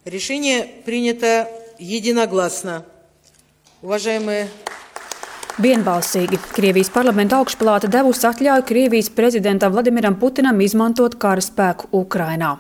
Решение принято единогласно. Уважаемые Vienbalsīgi Krievijas parlamenta augšpalāta devusi atļauju Krievijas prezidentam Vladimiram Putinam izmantot kara spēku Ukrainā.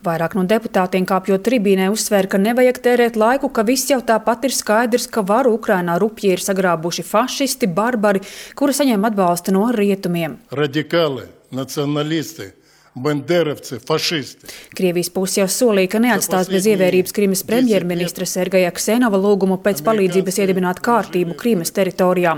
Vairāk no deputātiem kāpjot tribīnē uzsvēra, ka nevajag tērēt laiku, ka viss jau tāpat ir skaidrs, ka varu Ukrainā rupji ir sagrābuši fašisti, barbari, kuri saņem atbalstu no rietumiem. Radikāli, nacionālisti. Banderovci, fašisti. Krievijas puse jau solīja, ka neatstās bez ievērības Krimas premjerministra Sergeja Ksenova lūgumu pēc palīdzības iedibināt kārtību Krimas teritorijā.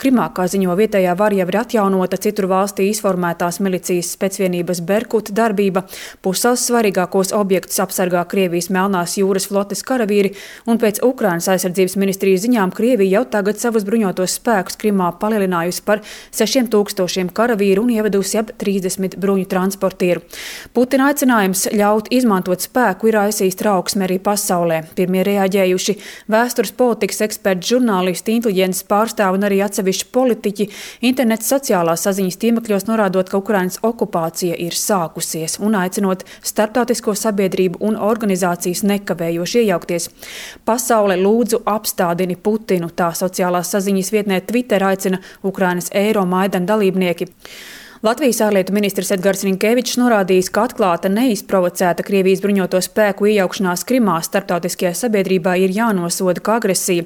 Krimā, kā ziņo vietējā vara, jau ir atjaunota citur valstī izformētās milicijas specvienības Berkut darbība. Pusels svarīgākos objektus apsargā Krievijas Melnās jūras flotes karavīri, un pēc Ukrainas aizsardzības ministrijas ziņām Krievija jau tagad savus bruņotos spēkus Krimā palielinājusi par 6000 karavīru un ievedusi ap 30 bruņu transportu. Putina aicinājums ļaut izmantot spēku ir aizsījis trauksmi arī pasaulē. Pirmie reaģējuši vēstures politikas eksperti, žurnālisti, inteliģences pārstāvi un arī atsevišķi politiķi internets sociālās saziņas tīmekļos norādot, ka Ukrainas okupācija ir sākusies un aicinot starptautisko sabiedrību un organizācijas nekavējoši iejaukties. Pasaule lūdzu apstādini Putinu, tā sociālās saziņas vietnē Twitter aicina Ukrainas Eiromaidan dalībnieki. Latvijas ārlietu ministrs Edgars Rinkevičs norādījis, ka atklāta neizprovocēta Krievijas bruņoto spēku iejaukšanās Krimā starptautiskajā sabiedrībā ir jānosoda kā agresija.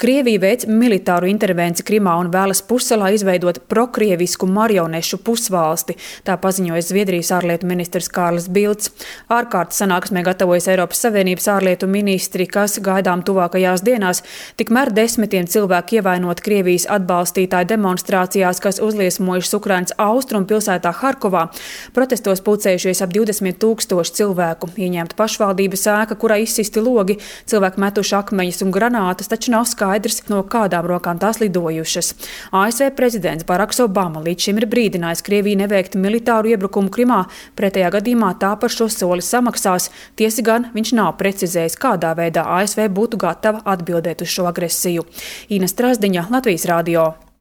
Krievija veic militāru intervenciju Krimā un vēlas pussalā izveidot prokrievisku marionešu pusvalsti, tā paziņoja Zviedrijas ārlietu ministrs Kārlis Bilds. Ārkārtas sanāksmē gatavojas Eiropas Savienības ārlietu ministri, kas gaidām tuvākajās dienās, tikmēr desmitiem cilvēku ievainot Krievijas atbalstītāju demonstrācijās, kas uzliesmojušas Ukrainas austrumu pilsētā Harkovā. Protestos pulcējušies ap 20 000 cilvēku. Ieņemta pašvaldības ēka, kurā izsisti logi, cilvēki metuši akmeņus un granātas, taču nav skaidrs, no kādām rokām tās lidojušas. ASV prezidents Baraks Obama līdz šim ir brīdinājis Krieviju neveikt militāru iebrukumu Krimā, pretējā gadījumā tā par šo soli samaksās. Tiesa gan viņš nav precizējis, kādā veidā ASV būtu gatava atbildēt uz šo agresiju. Ina Strasdiņa, Latvijas radio.